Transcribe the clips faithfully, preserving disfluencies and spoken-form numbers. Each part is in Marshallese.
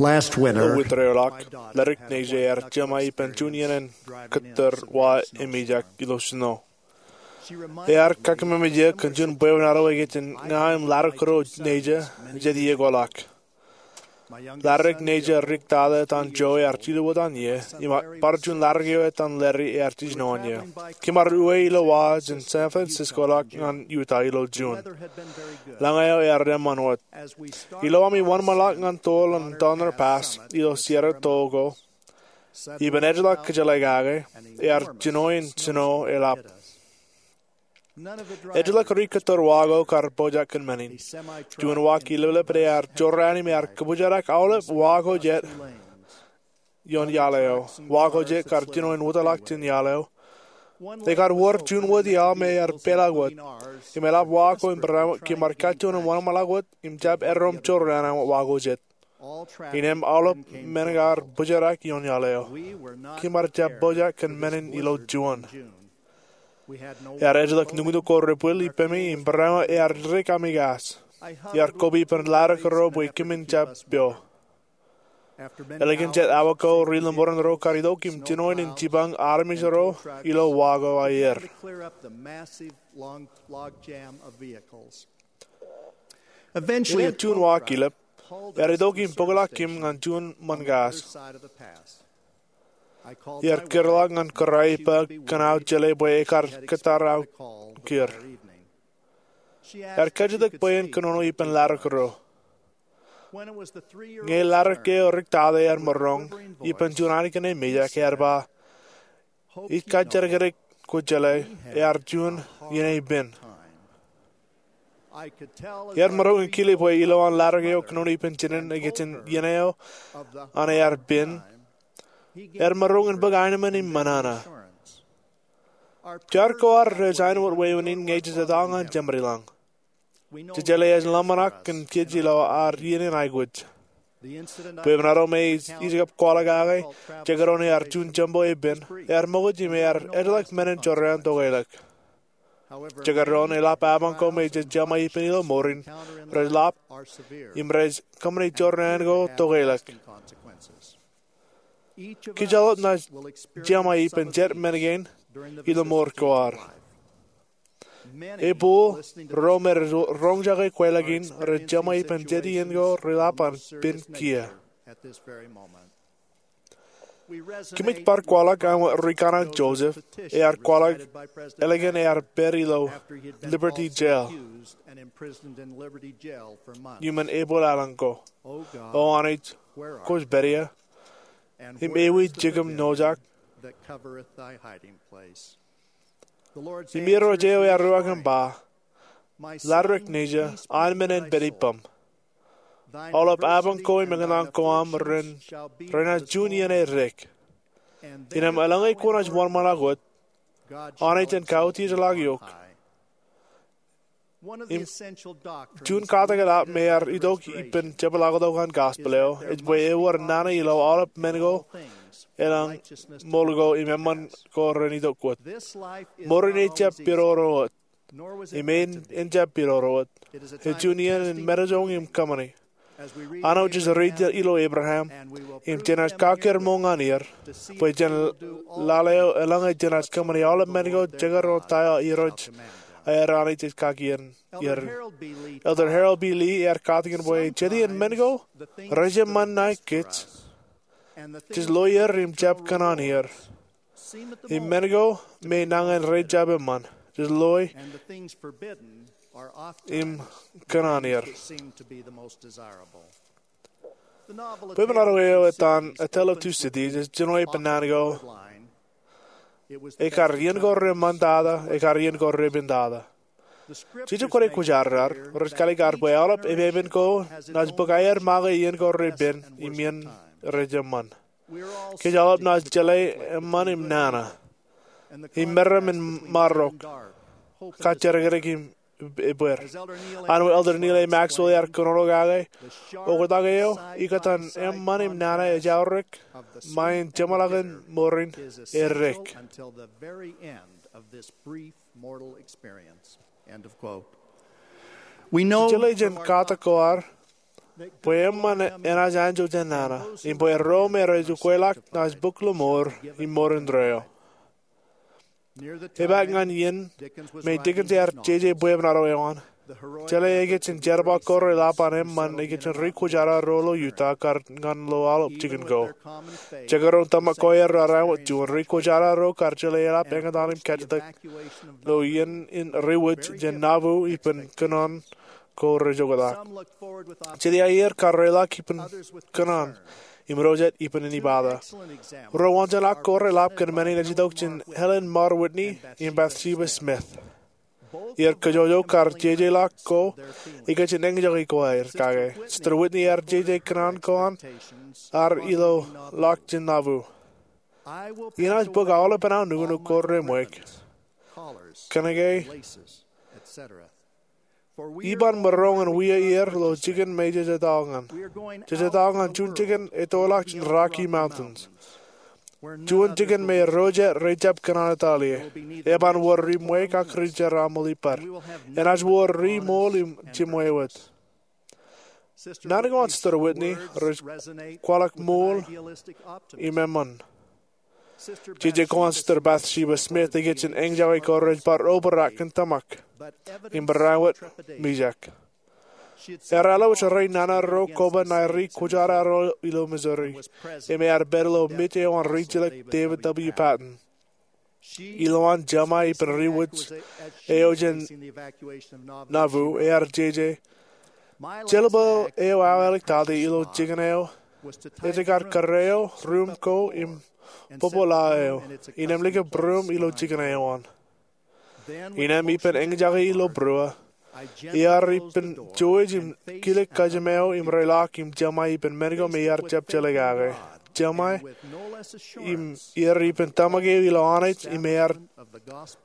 Last winter, Ilo winter eo ḷọk, Ledik Neja ear jema ippān juon iien in kōttar wa emejak ilo snow. Ear kakememej eō kōn juon bwebwenato ej kajjitōk ña im Laddik Kōrā Neja jet iiō ko ḷọk. Laddik Neja Rick Tata etan Joe ear jilu wōt an ie, im bar juon laddik eo etan Larry ear jijino an ie. Kōm ar uwe ilo wa jān San Francisco ḷọk ñan Utah ilo June. Lañ eo ear eṃṃan wōt. Ilo ami wōnṃaanḷọk ñan toḷ an Donner Pass ilo Sierra Tojoko, ippān ejjeḷọk kōjeḷā kake, ear jino in snow eḷap. Ejjeḷọk ri kōttar wa ko kar pojak kōn men in. Juon wa kileplep ear jorrāān im ear kōbōjrak aolep wa ko jet ioon iaḷ eo. Wa ko jet kar jino in wōtlọk jān iaḷ eo. Ekar wōr juon wōt iaḷ me ear peḷọk wōt. Im eḷap wa ko im barāinwōt kōm ar kajjioñ wōnṃaanḷọk wōt im jab eddoṃ jorrāān aṃ wa ko jet. Innām aolep men kar bōjrak ioon iaḷ eo. Kōm ar jab pojak kōn men in ilo juon. Ear ejjeḷọk nuknuk ko ri pālle ippemi im barāinwōt ear dik ami kas. Iar koba ippān Laddik Kōrā bwe kōmin jab pio. Ālikin jet awa ko, ri lemmoran ro kar itok im jino in jipañ armej ro ilo wa ko aer. Innām juon wa kilep, ear itok im bōkḷọk kōm ñan juon ṃōn kas. Iar kūrḷọk ñan kōrā ippa kōn aō jeḷā bwe ekar kōttar aō kūr. Ear kajjitōk bwe en kōnono ippān Laddik Kōrā. Ñe laddik eo Rick Tata ear maroñ ippān juon anakin emejak, ear ba, ij kajjitōk kōn kōjeḷā ear juon iien eo pen. Ear maroñ in kile bwe ilowaan laddik eo kōnono ippān jined ej kajjitōk iien eo an ear pen. Ear maroñ in bōk aenōṃṃan im ṃōṇōṇō. Jar ko ad rej āinwōt wāween in ñe jej etto ñan Jemedlañ. Jej jeḷā ej ḷōmṇak kōn kōj ilo ad iien in aikuj. Bwebwenato me ij kab kwaḷọk kake, jekdọọn ear juon jembo epen, ear ṃokta im ear ejjeḷọk men in jorrāān tokeḷọk. Jekdọọn eḷap apañ ko me jej jema ippān ilo mour in, rej ḷap, im rej kōṃṃane jorrāān ko tokeḷọk. Kōj aolep naaj jema ippān jet men kein ilo mour ko ad. Ebōḷ ro me rej roñjake kweilọk in rej jema ippān jet iien ko reḷap an pen kiiō. Kōmij bar kwaḷọk aṃ rikōṇaan Joseph, ear kwaḷọk ālikin ear pād ilo Liberty Jail iuṃwin Ebōḷ aelōñ ko. O Anij, kwōj pād ia, im ewi jikiṃ nojak? Im Irooj eo ear uwaak im ba, Laddik Neja, an men en pād ippaṃ. Aolep apañ ko im eñtaan ko aṃ renaaj juon iien eddek. Innām eḷaññe kwōnaaj wōnṃaanḷọk wōt, Anij en kautiej ḷọk eok. Im juon katak eḷap me ear itok ippān jepḷaaktok an gospel eo ej bwe ewōr nana ilo aolep men ko, elōñ ṃool ko im eṃṃan ko ren itok wōt. Mour in ejjab pidodo wōt. Im en ejjab pidodo wōt. Ej juon iien in metajoñ im kōṃṃani. Āinwōt jej read ilo Abraham, im jenaaj kakkūr ṃool ñan er, bwe jān laḷ eo eḷaññe jenaaj kōṃṃani aolep men ko jekdọọn ta eo Irooj aer Anij ej kaki er. Elder Harold B. Lee ear katakin bwe jet iien men ko rej eṃṃan ṇae kōj, jej loe er im jab kōṇaan er. Im men ko me nañin rej jab eṃṃan, jej loe im kōṇaan er. Bwebwenato eo etan A Tale of Two Cities ej jino ippān naan ko, Ekar iien ko reṃṃantata, ekar iien ko repentata. Jeje kwōnaaj kwōjarjar, rej kaalikkar bwe aolep epepen ko naaj bōk aer make iien ko repen im iien rej eṃṃan. Kōj aolep naaj jeḷā eṃṃan im nana, im meram in marok, kajjitōk im ebbeer. Āinwōt Elder Neal A. Maxwell ear kōnono kake, oktak eo ikōtaan eṃṃan im nana ej aorōk ṃae in jeṃḷọkin mour in eddek. Jej jeḷā jān katak ko ad bwe eṃṃan enaaj anjọ jān nana, im bwe ro me rej ukweḷọk naaj bōk lọmọọr im mour indeeo. Epaak ñan iien me Dickens ear jeje bwebwenato eo an, jeḷā ekōjin jerbal ko reḷap an eṃṃan ekōjin ri kwōjarro ro ilo Utah kar ñan ḷo aolep jikin ko. Jekdọọn tōmak ko aer raar āinwōt juon ri kwōjarro ro kar jeḷā eḷap eñtaan im kajjitōk ilo iien in riwōj jān Nauvoo ippān kōnono ko rej oktak. Jet iiō kar reḷọk ippān kōnono im ro jet ippān inibata. Ro wōnjeḷā ko reḷap kōn men in ej itok jān Helen Mar Whitney im Bathsheba Smith. Iar kajjojo kar jejeḷọk ko ekōjin eñjake ko aer kake. Sister Whitney ear jeje kōnono ko an, ear ilo ḷọk jān Nauvoo. Inaaj bōk aolepān aō nuknuk ko reṃwōj, kōnke iban maroñ in wia er ilo jikin me jej etto ñan. Jej etto ñan juon jikin ettoḷọk jān Rocky Mountains, juon jikin me ro jet rej jab kōnono etal ie. Eban wōr ri ṃweiuk ak ri jeraaṃṃan ippaṃ. Enaaj wōr ri ṃool im jemwāwōt. Naan ko an Sister Whitney rej kwaḷọk ṃool im eṃṃan. Jeje ko an Sister Bathsheba Smith ekōjin eñjake ko rej bar obrak kōn tōmak im barāinwōt mijak. Ear alwōj reinana ro koba ṇae ri kwōjarro ro ilo Missouri, im ear pād ilo mej eo an rijjilōk David W. Patten. Ilowaan jeṃae ippān riwōj eo jān Nauvoo, ear jeje, jeḷā bwe eo aō āliktata ilo jikin eo ej kar kōrā eo ruum ko im bōbōḷā eo, innām likūt ruum ilo jikin eo an. Innām ippān eñjake ilo būruō, iar ippān jouj im kile kōjām eo im reḷọk im jeṃae ippān men ko me iar jab jeḷā kake. Jeṃae im iar ippān tōmak eo ilo Anij im ear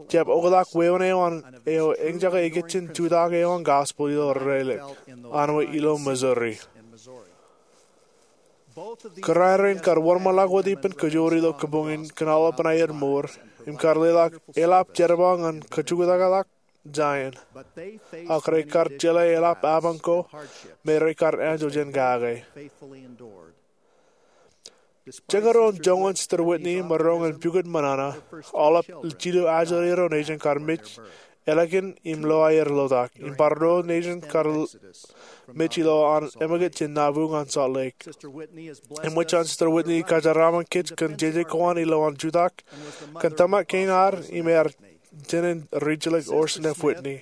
jab oktak wāween eo an eo eñjake ekōjin jutak eo an gospel ilo Rālik, an wōt ilo Missouri. Kōrā rein kar wōnṃaanḷọk wōt ippān kajoor ilo kabuñ in kōn aolepān aer mour im kar leḷọk eḷap jerbal ñan kajuktakḷọk Zion. Ak rekar jeḷā eḷap apañ ko me rekar anjọ jān kake. Jekdọọn joñan Sister Whitney maroñ in pukot ṃōṇōṇō, aolep jilu ajri ro nejin kar mej ālikin im lo aer lotak, im bar ro nejin kar mej ilo an ṃōkaj jān Nauvoo ñan Salt Lake. Eṃōj an Sister Whitney kōjeraaṃṃan kōj kōn jeje ko an ilowaan jutak kōn tōmak kein ad im ear jān rijjilōk Orson F. Whitney.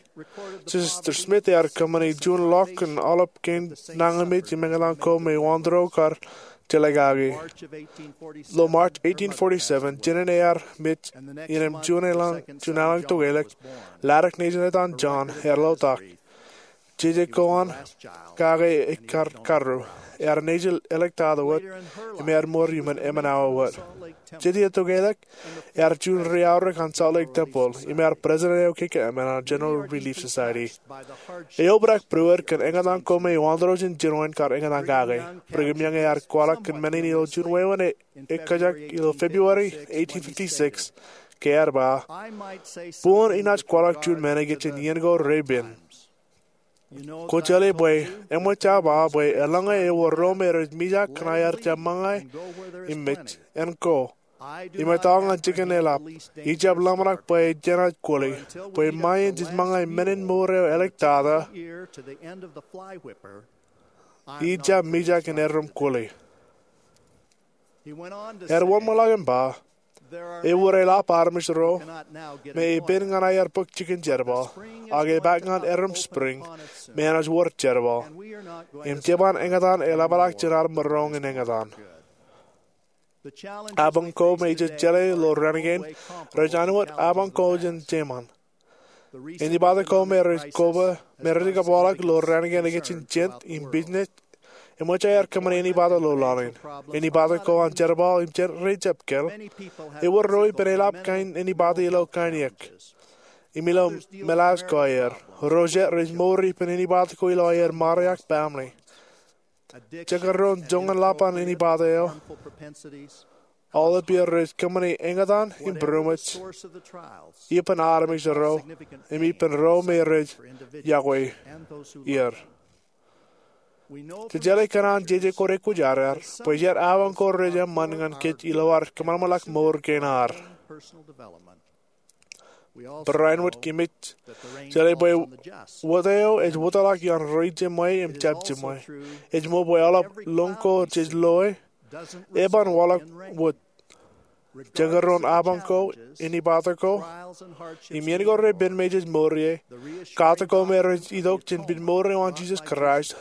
Sister Smith ear kōṃṃani juon ḷọk kōn aolep kein nañinmej im eñtaan ko me wāween ro kar jeḷā kake. Ilo March eighteen forty-seven, jān ear mej, innām juon āliñ, juon āliñ tokālik, Laddick nejin etan John ear lotak. Jeje ko an kake ekar karru, ear nejin āliktata wōt, im ear mour iuṃwin emān awa wōt. Jet iiō tokālik, ear juon ri aorōk an Salt Lake Temple, im ear president eo kōn emān an General Relief Society. Eobrak būruod kōn eñtaan ko me wāween ro jān jinoin kar eñtaan kake. Brigham Young ear kwaḷọk kōn men in ilo juon wāween ekkajak ilo February eighteen fifty-six, ke ear ba, Boñ inaaj kwaḷọk juon men ekōjin iien ko repen. Kwōjeḷā bwe eṃōj aō ba bwe eḷaññe ewōr ro me rej mijak ñan aer jab ṃōñā im mej, en ko, im etto ñan jikin eḷap, ij jab ḷōmṇak bwe jenaaj kwōle, bwe ṃae in jej ṃōñā men in mour eo āliktata, ij jab mijak in erom kwōle. Ear wōnṃaanḷọk im ba, ewōr eḷap armej ro me epen ñan aer bōk jikin jerbal, ak epaak ñan erom spring me enaaj wōr jerbal, im jeban eñtaan eḷapḷọk jān ad maroñ in eñtaan. Apañ ko me ij jeḷā ilo raan kein rej āinwōt apañ ko jān jeṃaan. Anibata ko me rej koba, me rej kōpeḷḷọk ilo raan kein ekōjin jent im business, eṃōj aer kōṃṃane anibata ilo laḷ in. Anibata ko an jerbal im jent rej jab kāāl. Ewōr ro ippān eḷap kain anibata ilo kain iiōk im ilo meḷaaj ko aer. Ro jet rej mour ippān anibata ko ilo aer ṃare ak baaṃle. Jekdọọn joñan ḷap an anibata eo, aolep iiō rej kōṃṃane eñtaan im būroṃōj ippān armej ro im ippān ro me rej yokwe er. Jej jeḷā kōn an jeje kwōdekwōjarjar bwe jet abañ ko rej eṃṃan ñan kōj ilo ad kōṃanṃanḷọk mour kein ad. Barāinwōt kōmij jeḷā bwe wōt eo ej wōtlọk ioon ri-jeṃwe im jab jeṃwe. Ej ṃool bwe aolep lōñ ko jej loe eban waḷọk wōt. Jekdọọn abañ ko, innipato ko, im iien ko repen me jej mour ie, katak ko me rej itok jān pād mour eo an Jisōs Kraist,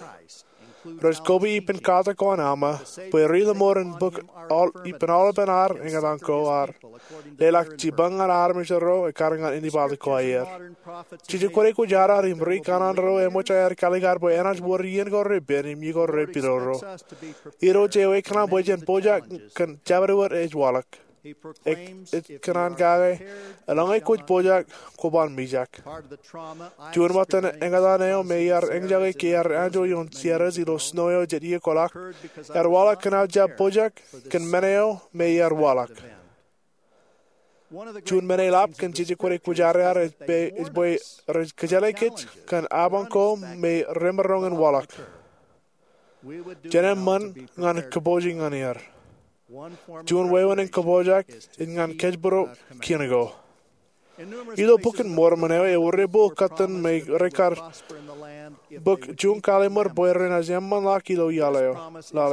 rej koba ippān katak ko an Alma bwe ri-lōṃoor in bōk ippān aolepān ad eñtaan ko ad, leḷọk jipañ ñan armej ro ekkar ñan innipato ko aer. Jeje kwōdekwōjarjar im ri-kanaan ro eṃōj aer kalikkar bwe enaaj wōr iien ko repen im iien ko repidodo. Irooj eo ekōṇaan bwe jen pojak kōn jabdewōt ej waḷọk. Ej kōṇaan kake, eḷaññe kwōj pojak, kwōban mijak. Juon ṃōttan eñtaan eo me iar eñjake ke iar anjọ ioon Seattle ilo snow eo jet iiō kwaḷọk, ear waḷọk kōn aō jab pojak kōn men eo me iar waḷọk. Juon men eḷap kōn jeje kwōdekwōjarjar ej bwe, ej bwe rej kōjjeḷā kōj kōn abañ ko me remaroñ in waḷọk. Jen eṃṃan ñan kōpooje ñan er. Juon wāween kōpooj ej ñan kōjparok kien ko. Ilo Bok in Mormon eo ewōr epō kōttan me rekar bōk juon kallim̧ur bwe renaaj eṃṃanḷọk ilo laḷ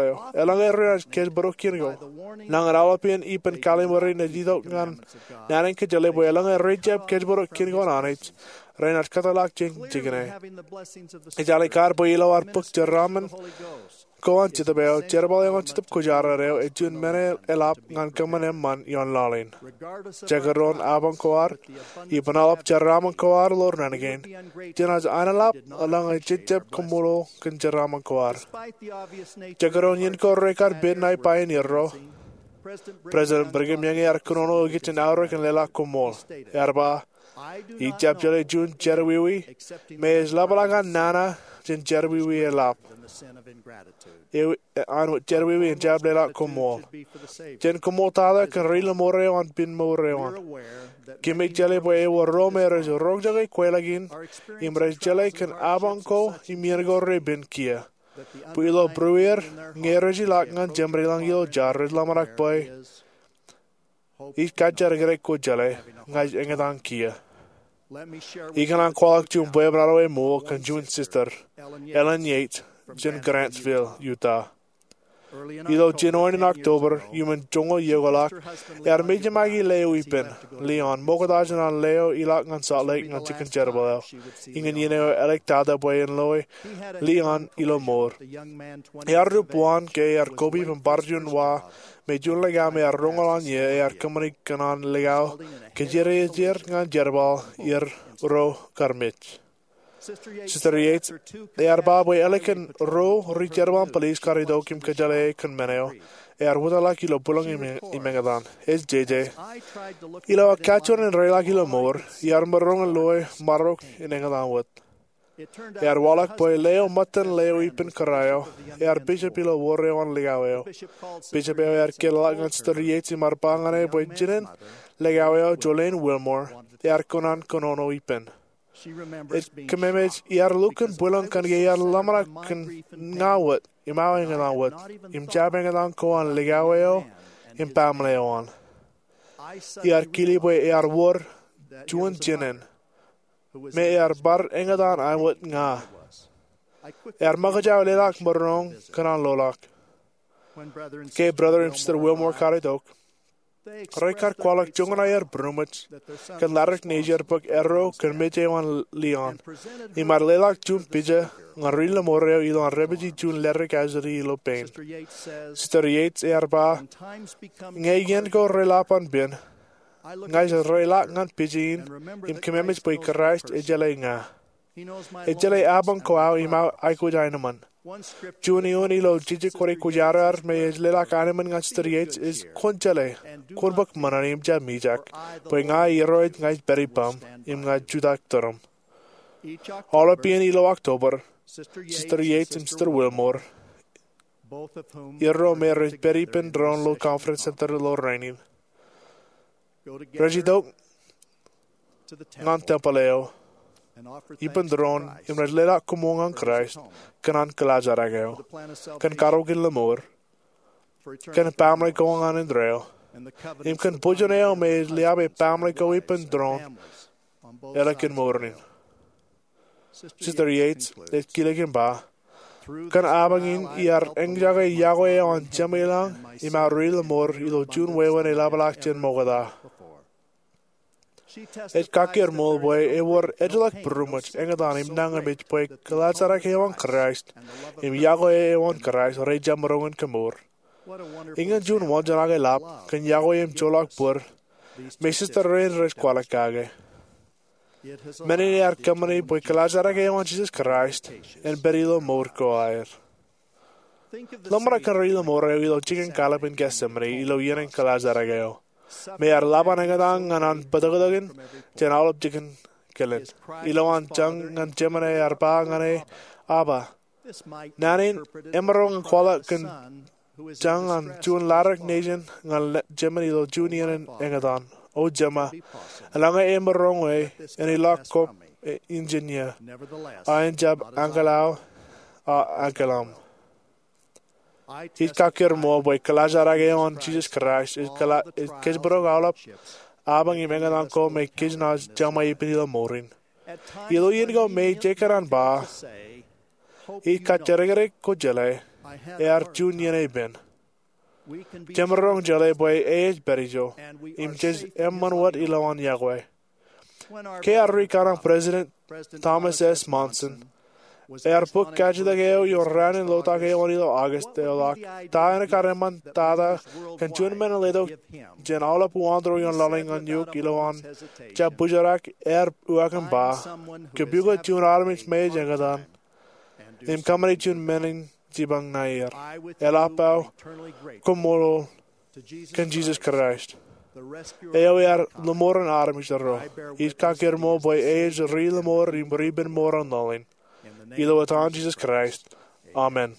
eo. Eḷaññe renaaj kōjparok kien ko, nañin aolepān ippān kallim̧ur in ej itok ñan naan in kōjjeḷā bwe eḷaññe rej jab kōjparok kien ko an Anij, renaaj kōtḷọk jān jikin e. Ej alen kar bwe ilo ad bōk jeraaṃṃan ko an Jetōb eo, jerbal eo an Jetōb Kwōjarjar eo ej juon men eḷap ñan kōṃṃan eṃṃan ioon laḷ in. Jekdọọn abañ ko ad, ippān aolep jeraaṃṃan ko ad ilo naan kein, jenaaj aenḷap eḷaññe jej jab kaṃṃoolol kōn jeraaṃṃan ko ad. Jekdọọn iien ko rekar pād ṇae pioneer ro, President Brigham Young ear kōnono ikijjien aorōk in leḷọk koṃṃool. Ear ba, ij jab jeḷā juon jerọwiwi me ej ḷapḷọk an nana jān jerọwiwi eḷap, āinwōt jerọwiwi in jab leḷọk koṃṃool. Jen koṃṃooltata kōn ri-lōṃoor eo an pād mour eo an. Kōmij jeḷā bwe ewōr ro me rej roñjake kweilọk in im rej jeḷā kōn abañ ko im iien ko repen kiiō. Bwe ilo būrueir, ñe rej ilọk ñan jeṃaad ilañ ilo jar, rej ḷōmṇak bwe ij kajjitōk kōj jeḷā ña ij eñtaan kiiō. Ikōṇaan kwaḷọk juon bwebwenato eṃool kōn juon sister, Ellen Yates, jān Grantsville, Utah. Ilo jinoin in October iuṃwin joñoul iiō kwaḷọk, ear mejaṃake leo ippān, Leon, ṃokta jān an leo ilọk ñan Salt Lake ñan jikin jerbal eo. Iñin iien eo eḷak tata bwe en loe Leon ilo mour. Ear rup waan ke ear koba ippān bar juon wa me juon likao me ear roñoul an ie ear kōṃṃani kōn an likao kōjierejeer ñan jerbal er ro kar mej. Sister Yates ear ba bwe ālikin ruo ri-jerbal in police kar itok im kōjjeḷā e kōn men eo, ear wōtlọk ilo bwilōñ im eñtaan. Ej jeje, ilo aō kajjioñ in reilọk ilo mour, iar maroñ in loe marok in eñtaan wōt. Ear waḷọk bwe leo ṃōttan leo ippān kōrā eo, ear bishop ilo wōr eo an likao eo. Bishop eo ear kōtḷọk ñan Sister Yates im ear ba ñan e bwe jinen likao eo, Jolene Wilmore, ear kōṇaan kōnono ippān. Ej kōmemej iar lukkuun bwilōñ kōnke iar ḷōmṇak kōn ña wōt im aō eñtaan wōt, im jab eñtaan ko an likao eo im baaṃle eo an. Iar kile bwe ear wōr juon jinen me ear bar eñtaan āinwōt ña. Ear ṃōkaj aō leḷọk maroñ kōn an loḷọk. Ke Brother im Sister Wilmore kar itok, rekar kwaḷọk joñan aer būroṃōj kōn ladik nejier bōk erro kōn mej eo an Leon, im ear leḷọk juon pija ñan ri-lōṃoor eo ilo an dāpiji juon ledik ajri ilo pein. Sister Yates ear ba, ñe iien ko reḷap an pād, ña ij reilọk ñan pija in im kōmemej bwe Kraist ej jeḷā ña. Ej jeḷā abañ ko aō im aō aikuj aenōṃṃan. Juon eoon ilo jeje kwōdekwōjarjar me ej leḷọk aenōṃṃan ñan Sister Yates ej, kwōn jeḷā, kwōn bōk ṃōṇōṇō im jab mijak, bwe ña Irooj, ña ij pād ippaṃ im ña ij jutak tūrūṃ. Aolep iien ilo October, Sister Yates im Sister Wilmore, erro me rej pād ippān doon ilo Conference Center ilo rainin, rej itok ñan tempel eo ippān tūroon im rej leḷọk koṃṃool ñan Kraist kōn an kilaajrak eo, kōn karukin lemour, kōn baaṃle ko ñan indeeo, im kōn bōjjān eo me ej liabe baaṃle ko ippān tūroon eḷap kōn mour in. Sister Yates ej kilen im ba, kōn apañ in iar eñjake yokwe eo an Jemem ilañ im aō ri lemour ilo juon wāween eḷapḷọk jān ṃokta. Ej kakkōrmool bwe ewōr ejjeḷọk būroṃōj, eñtaan im nañinmej bwe kilaajrak eo an Kraist im yokwe eo an Kraist rej jab maroñ in kemour. Iñin juon wōnjeṇ ḷap kōn yokwe im joḷọk bōd me sister rein rej kwaḷọk kake. Men in ear kōṃṃani bwe kilaajrak eo an Jisōs Kraist en pād ilo mour ko aer. Ḷōmṇak kōn ri lemour eo ilo jikin kallib in Getsemane ilo iien in kilaajrak eo, me ear ḷap an eñtaan ñan an bōtōktōkin jān aolep jikin kilen. Ilo an jañ ñan Jemān ear ba ñan e, Abba. Naan in emaroñ in kwaḷọk kōn jañ an juon ladik nejin ñan Jemān ilo juon iien in eñtaan. O Jema, eḷaññe emaroñ e, en ilọk kōm injin ie, a en jab ankilao, a ankilōṃ. Ij kakkōrmool bwe kilaajrak eo an Jisōs Kraist ej kōjparok aolep apañ im eñtaan ko me kōjnaaj jeṃḷọk ippān ilo mour in. Ilo iien ko me ij kōṇaan ba, ij kajjidikdik ko jeḷā, ear juon iien epen. Jemaroñ jeḷā bwe e ej pād ijo, im jej eṃṃan wōt ilowaan yokwe. Ke ear rūkaṇe President Thomas S. Monson ear bōk kajjitōk eo ioon raan in lotak eo an ilo August eḷọk, ta en kar eṃṃan tata kōn juon men en letok jān aolep uwaanto ioon laḷ in ñan eok ilowaan jab bōjrak? Ear uwaak im ba, kōpukot juon armej me ej eñtaan im kōṃṃani juon men in jipañ ṇae er. Eḷap aō koṃṃool kōn Jisōs Kraist, eo ear lemour in armej ro. Ij kakkōrmool bwe e ej ri lemour im ri ippān mour an laḷ in. Ilo etan Jisōs Kraist, amen.